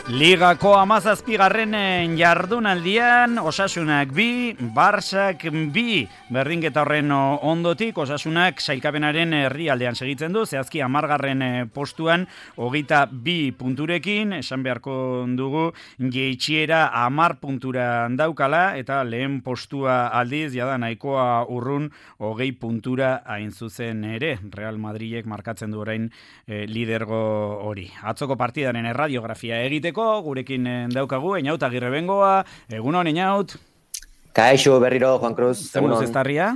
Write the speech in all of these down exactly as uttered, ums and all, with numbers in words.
Ligako hamazazpigarren jardunaldian Osasunak bi, Barsak bi, berdinketa horren ondotik Osasunak sailkapenaren herrialdean segitzen du, zehazki hamargarren postuan hogeita bi punturekin, esan beharko dugu jeitsiera hamar puntura daukala eta lehen postua aldiz jada nahikoa urrun hogei puntura hain zuzen ere, Real Madridek markatzen du orain eh, lidergo hori. Atzoko partidaren erradiografia egiteko gurekin daukagu, Einaut Agirre Bengoa, egunon Einaut. Kaixo berriro, Juan Cruz. Zemuz estarria?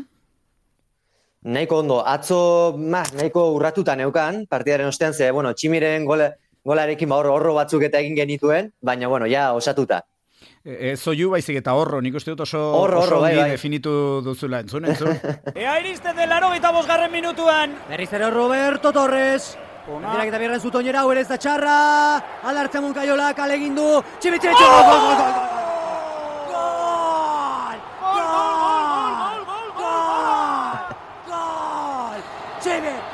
Nahiko ondo, atzo ma, nahiko urratuta neukan, partidaren ostean, ze, bueno, Tximiren gole, golarekin ba horro, horro batzuk eta egin genituen, baina, bueno, ja, osatuta. Ez zoiu baizik eta horro, nik uste dut oso, horro, oso horro, bai, bai. definitu duzula, entzun, entzun. Ea iristen del laurogeita bosgarren minutuan. Berriz ere Roberto Torres. Dirak eta bierren zutoinera, hau ere ez da txarra. Alartzen munkaiola, kale egin du. Tximitxe, gol, gol, gol, gol, gol.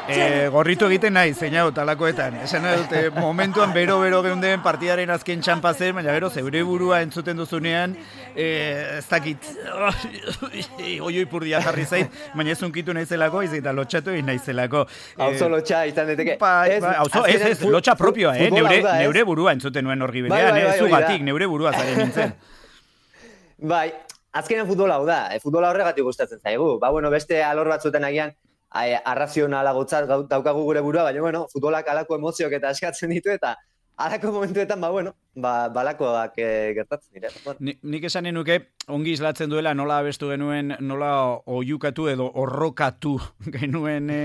E, gorritu egiten nahi, zeinau, talakoetan. Esan dute, momentuan bero-bero geunden partidaren azken txampa zen, baina gero zeure burua entzuten duzunean, e, ez dakit, oioi purdia jarri zait, baina ez unkitu naizelako, ez eta lotxatu egin naizelako. Hauzo lotxa izan deteke. Pa, pa, hauzo, ez, ez, lotxa propioa, eh? Neure, da, neure burua entzuten nuen horri berean, bai, bai, bai, eh? Zugatik, neure burua zaren nintzen. Bai, azkenean futbola hau da, e, futbola horregatik gustatzen zaigu. Ba, bueno, beste alor batzuten agian, arrazionala gotzat daukagu gure burua, baina, bueno, futbolak alako emozioak eta eskatzen ditu, eta alako momentuetan, ba, bueno, ba, balakoak e, gertatzen dira. Bueno. Ni, nik esanen nuke, ongi islatzen duela, nola abestu genuen, nola oiukatu edo horrokatu genuen e,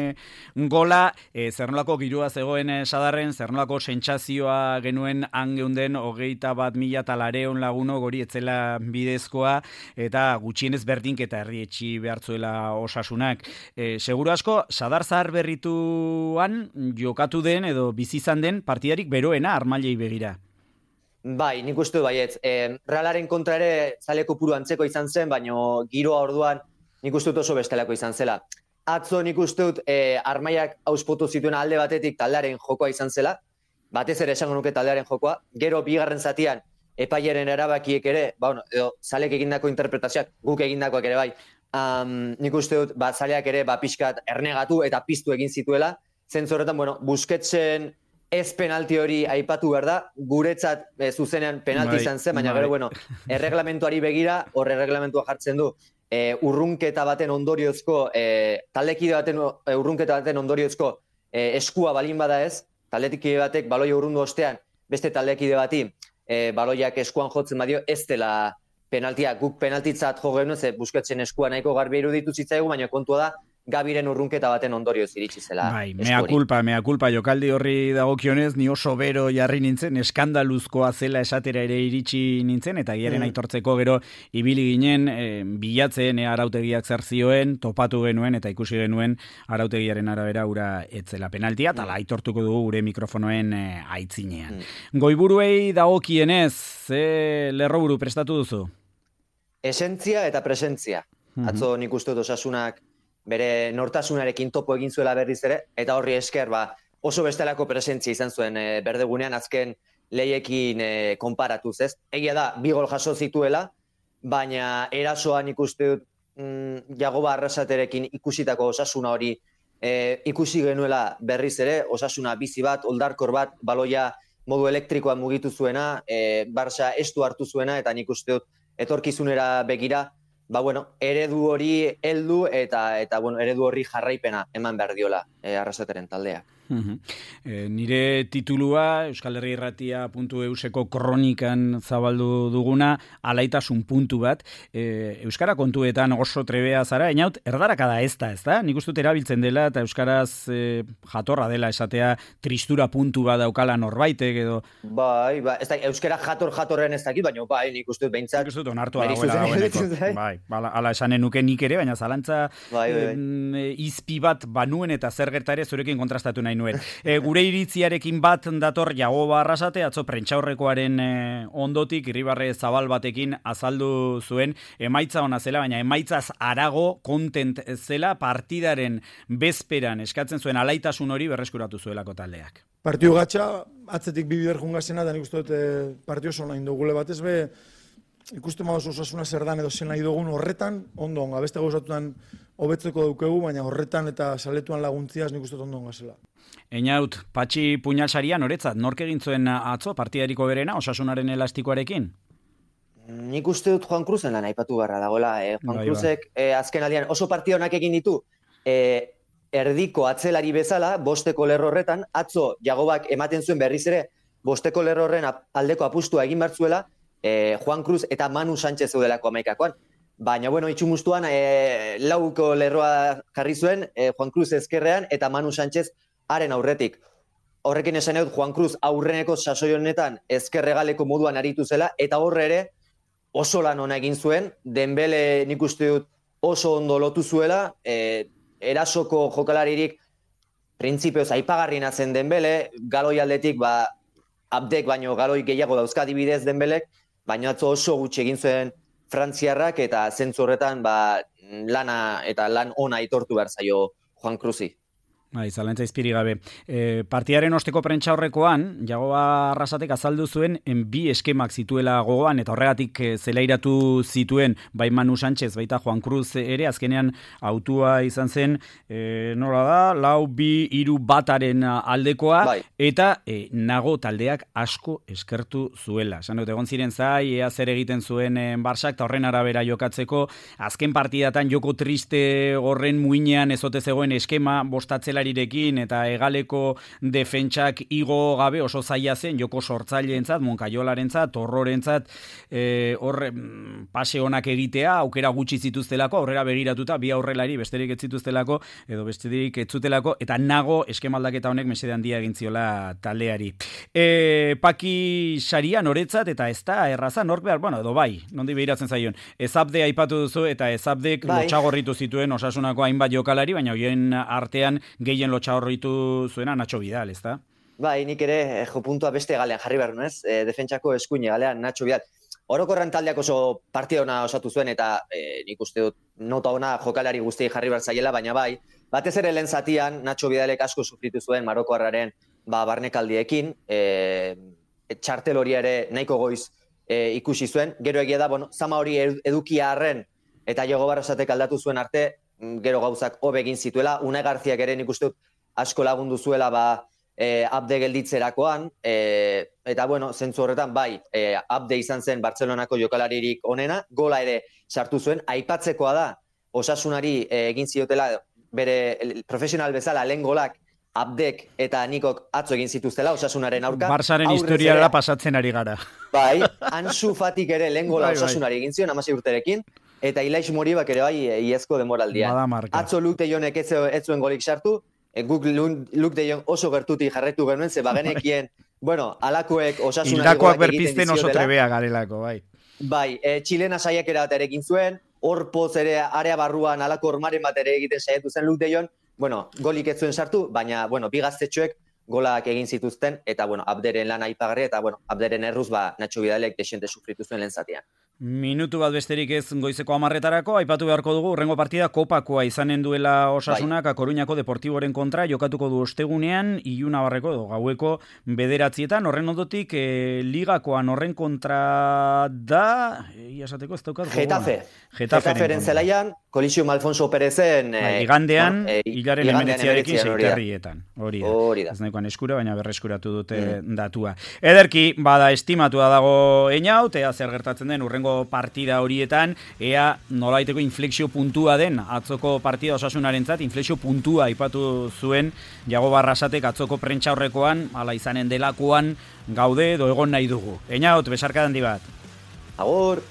gola, e, zer nolako girua zegoen e, sadarren, zer nolako sentsazioa genuen angeunden hogeita bat mila talareon laguno gori etzela bidezkoa, eta gutxienez berdinketa errietxi behartzuela Osasunak. E, seguro asko, sadar zahar berrituan jokatu den edo bizizan den partidarik beroena armailei begira. Bai, nik uste du baietz. E, Realaren kontra ere zaleko puru antzeko izan zen, baina giroa orduan nik uste dut oso bestelako izan zela. Atzo nik uste dut e, armaiak auspotu zituen alde batetik taldearen jokoa izan zela, batez ere esango nuke taldearen jokoa, gero bigarren zatian epaiaren erabakiek ere, ba, bueno, edo, zalek egindako interpretazioak, guk egindakoak ere bai, um, nik uste dut ba, zaleak ere ba, pixkat ernegatu eta piztu egin zituela, zentzu horretan, bueno, Busquetsen ez penalti hori aipatu behar da, guretzat e, zuzenean penalti izan zen, baina gero, bueno, erreglamentuari begira, horre erreglamentua jartzen du, e, urrunketa baten ondoriozko, e, taldekide baten e, urrunketa baten ondoriozko e, eskua balin bada ez, taldekide batek baloia urrundu ostean, beste taldekide bati e, baloiak eskuan jotzen badio, ez dela penaltia, guk penaltitzat jo genuen, ze Busquetsen eskua nahiko garbi iruditu zitzaigu, baina kontua da, Gabiren urrunketa baten ondorioz iritsi zela. Bai, mea culpa, mea culpa, jokaldi horri dagokionez, ni oso bero jarri nintzen, eskandaluzkoa zela esatera ere iritsi nintzen, eta giaren mm. aitortzeko gero ibili ginen, e, bilatzen e, arautegiak zer zioen, topatu genuen, eta ikusi genuen arautegiaren arabera ura etzela penaltia, eta mm. aitortuko dugu gure mikrofonoen e, aitzinean. Mm. Goiburuei dagokienez, ze lerroburu prestatu duzu? Esentzia eta presentzia. Mm-hmm. Atzo nik uste dut Osasunak bere nortasunarekin topo egin zuela berriz ere, eta horri esker ba, oso bestelako presentzia izan zuen e, berdegunean azken leiekin e, konparatuz, ez? Egia da, bi gol jaso zituela, baina erasoan ikuste dut mm, Jagoba Arrasaterekin ikusitako Osasuna hori e, ikusi genuela berriz ere, Osasuna bizi bat, oldarkor bat, baloia modu elektrikoan mugitu zuena, e, Barça estu hartu zuena, eta nik uste dut etorkizunera begira, ba, bueno, eredu hori heldu eta, eta bueno, eredu horri jarraipena eman behar diola e, Arrasateren taldea. Uh-huh. E, nire titulua Euskal Herri Irratia puntu euseko kronikan zabaldu duguna, alaitasun puntu bat. E, Euskara kontuetan oso trebea zara, Einaut, erdaraka da ez da, ez da? Nik uste dut erabiltzen dela eta Euskaraz e, jatorra dela esatea tristura puntu bat daukala norbaitek edo... Bai, ba, ez da, Euskara jator-jatorren ez dakit, baina bai, nik uste dut behintzat... Nik uste dut onartua dagoela dagoeneko. Bai, ala, ala esanen nuke nik ere, baina zalantza bai, bai. E, izpi bat banuen eta zer gerta ere zurekin kontrastatu nahi nahi nuen. E, gure iritziarekin bat dator Jagoba Arrasate, atzo prentxaurrekoaren e, ondotik, irribarre zabal batekin azaldu zuen, emaitza ona zela, baina emaitzaz arago kontent zela partidaren bezperan eskatzen zuen alaitasun hori berreskuratu zuelako taldeak. Partio gatxa, atzetik bi biber jungazena, da nik uste dut e, partio oso nahi dugule batez be, ikusten maoz osasuna zer dan edo zen nahi dugun horretan, ondo onga, beste gauzatuan hobetzeko daukegu, baina horretan eta saletuan laguntziaz nik uste dut ondo onga zela. Einaut, Patxi Puñalsaria noretzat, nork egin zuen atzo partidariko berena, osasunaren elastikoarekin? Nik uste dut Juan Cruzen lan aipatu barra dagoela. Eh? Juan Bai, Cruzek eh, azken aldian oso partida honak egin ditu, eh, erdiko atzelari bezala, bosteko lerro horretan, atzo Jagobak ematen zuen berriz ere, bosteko lerro horren aldeko apustua egin bertzuela, eh, Juan Cruz eta Manu Sánchez zeudelako amaikakoan. Baina, bueno, itxumustuan, eh, lauko lerroa jarri zuen, eh, Juan Cruz ezkerrean eta Manu Sánchez haren aurretik. Horrekin esan dut, Juan Cruz aurreneko sasoi honetan ezkerregaleko moduan aritu zela, eta horre ere oso lan ona egin zuen, Dembele nik uste dut oso ondo lotu zuela, eh, erasoko jokalaririk printzipioz aipagarriena zen Dembele, galoi aldetik, ba, Abdek baino galoi gehiago dauzka adibidez Dembelek, baina atzo oso gutxi egin zuen frantziarrak eta zentzu horretan ba, lana eta lan ona aitortu behar zaio Juan Cruzi. Bai, zalantza izpiri gabe. E, partiaren osteko prentxaurrekoan, Jagoba Arrasatek azaldu zuen en bi eskemak zituela gogoan, eta horregatik e, zelairatu zituen bai Manu Sánchez, baita Juan Cruz ere, azkenean autua izan zen, e, nola da, lau bi hiru bataren aldekoa, bai. Eta e, nago taldeak asko eskertu zuela. Esan dut, egon ziren zai, ea zer egiten zuen e, Barsak, eta horren arabera jokatzeko, azken partidatan joko triste horren muinean ezote zegoen eskema bostatzela eta egaleko defentsak igo gabe oso zaila zen, joko sortzaileentzat, Moncayolarentzat, Torrorentzat, e, hor pase onak egitea, aukera gutxi zituztelako, aurrera begiratuta, bi aurrelari besterik ez zituztelako, edo besterik ez zutelako, eta nago eskemaldaketa honek mesede handia egin ziola taldeari. E, Paki Saria noretzat, eta ez da erraza, nork behar, bueno, edo bai, nondi behiratzen zaion, Ezabde aipatu duzu, eta Ezabdek bai. Lotxagorritu zituen Osasunako hainbat jokalari, baina hoien artean gehien lotxa horritu zuena Nacho Vidal, ez da? Bai, nik ere jo puntua beste galean jarri behar nuen, e, defentsako eskuine galean Nacho Vidal. Orokorran taldeak oso partida ona osatu zuen, eta e, nik uste dut nota ona jokalari guztiei jarri behar zaiela, baina bai, batez ere lehen zatian Nacho Vidalek asko sufritu zuen Marokoarraren ba, barnekaldiekin, e, txartel hori ere nahiko goiz e, ikusi zuen, gero egia da, bueno, zama hori edukia arren, eta Jagoba Arrasatek aldatu zuen arte, gero gauzak hobe egin zituela, Unai Garziak ere nik uste dut asko lagundu zuela ba, e, Abde gelditzerakoan, e, eta bueno, zentzu horretan bai, e, Abde izan zen Bartzelonako jokalaririk onena, gola ere sartu zuen, aipatzekoa da, Osasunari e, egin ziotela bere profesional bezala lehen golak Abdek eta Nikok atzo egin zituztela Osasunaren aurka. Barsaren historiara pasatzen ari gara. Bai, Ansu Fatik ere lehen gola bai, Osasunari egin zion, hamasei urterekin, eta Ilaix Moribak ere bai iazko demoraldian. Atzo Luke de Jonek ez zuen golik sartu, e, guk Luke de Jong oso gertutik jarretu genuen, ze bagenekien, bueno, alakoek Osasunari Hildakoak berpizten oso trebea garelako, bai. Bai, e, Txilena saiakera bat ere egin zuen, hor poz ere area barruan alako ormaren bat ere egiten saiatu zen Luke de Jong, bueno, golik ez zuen sartu, baina, bueno, bi gaztetxoek golak egin zituzten, eta, bueno, Abderen lan aipagarri, eta, bueno, Abderen erruz, ba, Nacho Vidalek desente sufritu zuen lehen zatian. Minutu bat besterik ez goizeko hamarretarako, aipatu beharko dugu, urrengo partida kopakoa izanen duela Osasunak, bai. Koruñako Deportiboren kontra, jokatuko du ostegunean, Ilunabarreko edo gaueko bederatzietan, horren ondotik, e, ligakoan horren kontra da, iasateko ez daukat? Getafe. Getaferen zelaian, Kolisio Alfonso Perezen... Bai, igandean, bueno, e, hilaren emenetziarekin seiterrietan. Hori da. Hori da. Ez nahikoan eskura, baina berreskuratu dute mm. datua. Ederki, bada estimatua dago Einaut, ea zer gertatzen den urrengo partida horietan, ea nolaiteko inflexio puntua den atzoko partida Osasunarentzat, inflexio puntua aipatu zuen Jagoba Arrasatek atzoko prentxaurrekoan, hala izanen delakoan gaude edo egon nahi dugu. Einaut, besarka handi bat. Agur!